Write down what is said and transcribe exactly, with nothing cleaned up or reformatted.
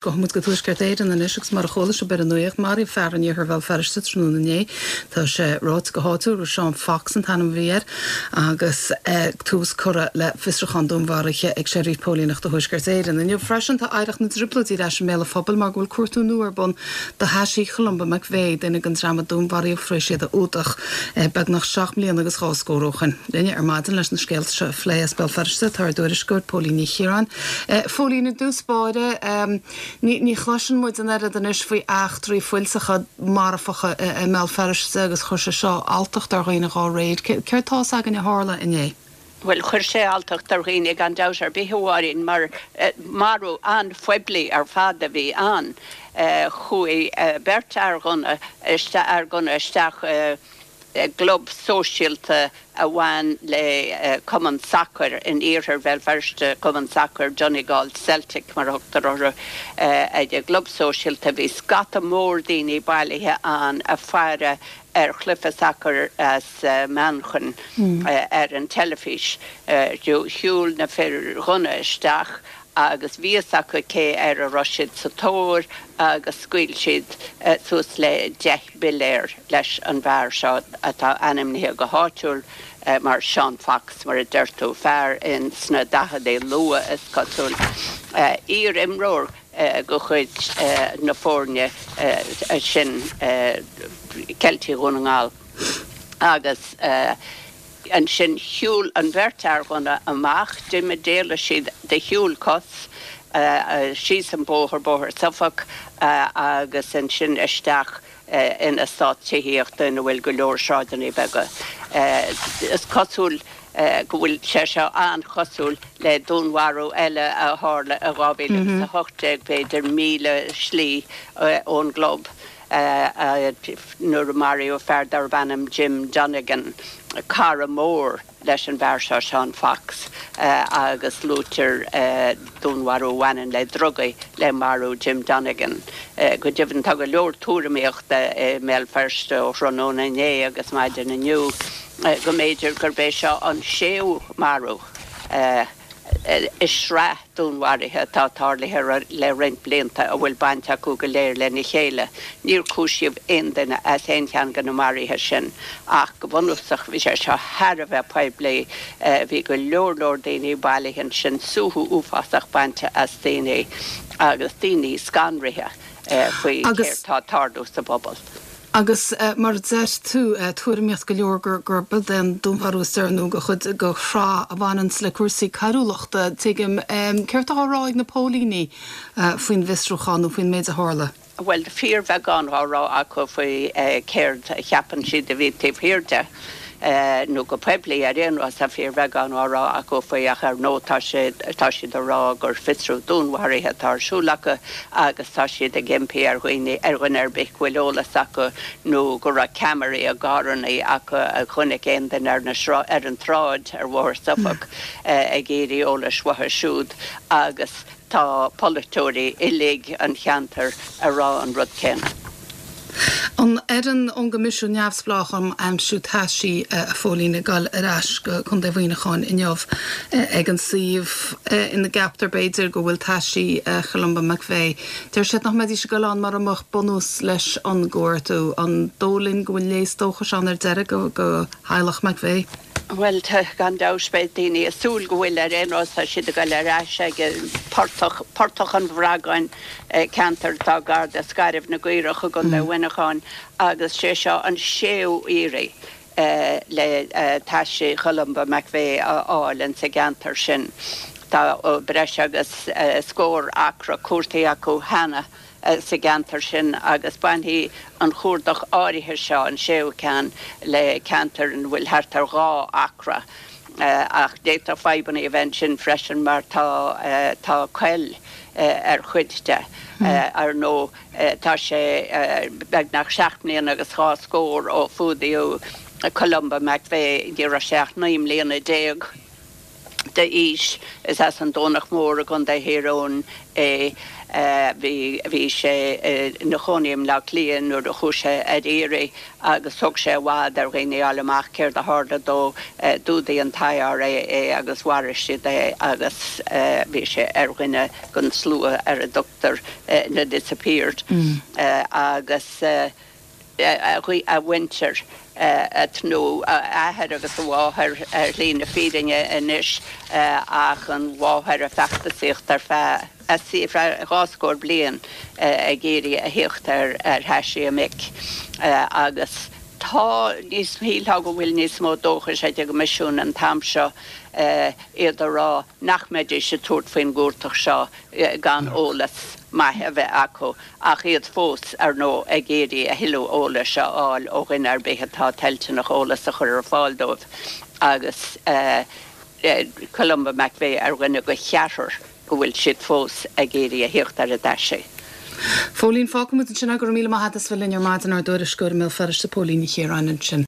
Gabhfaidh muid go Tuaisceart Éireann anois agus mar a chuala sibh ar an nuacht maraíodh fear in iarthar Bhéal Feirste tráthnóna inné. Tá sé ráite go háitiúil gur Seán Fox an t-ainm a bhí air agus eh, tús curtha le fiosrúchán dúnmharaithe ag Seirbhís Póilíneachta Thuaisceart Éireann. Inniu freisin tá oidhreacht na dTrioblóidí ar ais i mbéal an phobail mar go bhfuil cuartú nua ar bun do thaisí Cholumba McVeigh duine den dream a dúnmharaíodh tar éis iad a fhuadach eh, beagnach seacht mbliana agus dhá scór ó shin. Linn ar maidin leis na scéalta seo a phlé as Béal Feirste tá ár dtuairisceoir Póilín Ní Chiaráin. Eh, Phóilín i dtús báire um, ní, ní chloiseann muid an oiread anois faoi eachtraí fuilteacha marfacha i mBéal Feirste agus chuir sé seo alltacht ar dhaoine dá réir. Céard tá againn a tharla inné? Well chuir sé alltacht ar dhaoine gan dabht ar bith amháin mar eh, marú an-phoiblí ar fad a bhí ann. Eh, chuaigh eh, beirt fhear gunna fhear gunna isteach club sóisialta a bhain le cumann sacair in iarthar Bhéal Feirste cumann sacair Donegal Celtic mar a thugtar orthu ag an gclub sóisialta bhí scata mór daoine bailithe ann ag faire ar chluiche sacair as Manchain mm. ar an teilifís. Shiúil na fir ghunna isteach agus bhí a fhios acu cé air a raibh siad sa tóir agus scaoil siad suas le deich bpiléar leis an bhfear seo atá ainmnithe go háitiúil mar Sean Fox mar a deir tú fear in sna daichidí luath is cosúil iar-imreoir de chuid na foirne sin Ceiltigh Dhún na nGall agus ansin shiúil an bheirt fhear gunna amach d'imigh d'éalaigh siad de shiúl cos síos an bóthar bóthar Suffolk agus ansin isteach in eastát tithíochta ina bhfuil go leor sráideanna beaga. Is cosúil go bhfuil sé seo an-chosúil le dúnmharú eile a tharla i dhá mhíle agus a hocht déag b'fhéidir míle slí ón gclub. nuair a maraíodh fear darb ainm Jim Donegan, cara mór leis an bhfear seo Sean Fox agus luaitear dúnmharú a bhaineann le drugaí le marú Jim Donegan. Go deimhin tá go leor tuairimíochta i mBéal Feirste ó thráthnóna inné agus maidin inniu go mb'fhéidir gurb é seo an séú marú. i sraith dúnmharuithe atá tarlaithe le roinnt blianta a bhfuil baint acu go léir lena chéile. Níor cúisíodh aon duine as aon cheann de na maruithe sin ach go bunúsach bhí sé seo thar a bheith poiblí bhí go leor leor daoine bailithe ansin suaitheadh uafásach bainte as daoine agus daoine scanraithe faoi céard atá ag tarlú sa bpobal. Agus mar a deir tú tuairimíocht go leor gur gurb é an dúnmharú is deireanaí de chuid de shraith a bhaineann le cúrsaí coiriúlachta tuigim céard atá á rá ag na póilíní faoin bhfiosrúchán nó faoin méid a tharla. Well fíorbheagán á rá acu faoi céard a cheapann siad a bhí taobh thiar de. nó go poiblí ar aon nós tá fíorbheagán á rá acu faoi ach ar ndóigh tá sé tá siad á rá gur fiosrú dúnmharaithe atá ar siúl acu agus tá siad ag impí ar dhaoine ar dhuine ar bith go bhfuil eolas acu nó go raibh ceamaraí i gcarranna acu a chonaic aon duine ar na ar an tsráid ar Bhóthar Suffolk ag iarraidh eolais uathu siúd agus tá polaiteoirí uilig an cheantair ag rá an rud céanna. An fhoireann ón gCoimisiún Neamhspleách um Aimsiú Taisí a Phóilín ag dul ar ais go Contae Mhuineacháin inniu ag an suíomh ina gceaptar b'fhéidir go bhfuil taisí Cholumba McVeigh. Deir siad nach mbeidís ag dul ann mura mbeadh bunús leis an gcuartú an dóigh linn go bhfuil léas dóchais ann ar deireadh go go theaghlach McVeigh. Well gan dabht beidh daoine ag súil go bhfuil ar aon nós tá siad ag dul ar ais ag portach portach an Bhragáin ceantar atá gar do Scairbh na gCaorach i gContae Mhuineacháin agus sé seo an séú iarraidh le taisí Cholumba McVeigh a fháil in sa gceantar sin. Tá breis agus scór acra cuartaithe acu cheana sa gceantar sin agus bainfidh an cuardach áirithe seo an séú ceann le ceantar ina bhfuil thart ar dhá acra ach d'fhéadfadh fadhbanna a bheith ansin freisin mar tá tá coill ar chuid de ar ndóigh tá sé beagnach seacht mbliana agus dhá scór ó fuadaíodh Columba McVeigh ní raibh sé ach naoi mbliana déag. d'aois. Is as an Domhnach Mór i gContae Thír Eoghain é. Bhí bhí sé ina chónaí i mBleá Cliath nuair a chuaigh sé ar iarraidh agus thóg sé i bhfad ar dhaoine a fháil amach céard a tharla dó d'fhuadaigh an t-I R A é agus mharaigh siad é agus bhí sé ar dhuine den slua ar a dtugtar na disappeared agus a mhuintir nó a athair agus a mháthair ar shlí na fírinne anois ach an mháthair ag feachtasaíocht ar feadh dhá scór bliain ag iarraidh a theacht ar ar thaisí a mic agus tá níos shílfeá go bhfuil níos mó dóchais ag an gCoimisiún an t-am seo iad a rá nach mbeidís ag tabhairt faoin gcuardach seo gan eolas maith a bheith acu ach iad fós ar ndóigh ag iarraidh a thuilleadh eolais a fháil ó dhuine ar bith atá toilteanach eolas a chur ar fáil dóibh agus Columba McVeigh ar dhuine de cheathrar go bhfuil siad fós ag iarraidh a theacht ar a dtaisí. Phóilín fágfaimid ansin go raibh míle maith agat as bheith linn ar maidin ár dtuairisceoir i mBéal Feirste Póilín Ní Chiaráin ansin.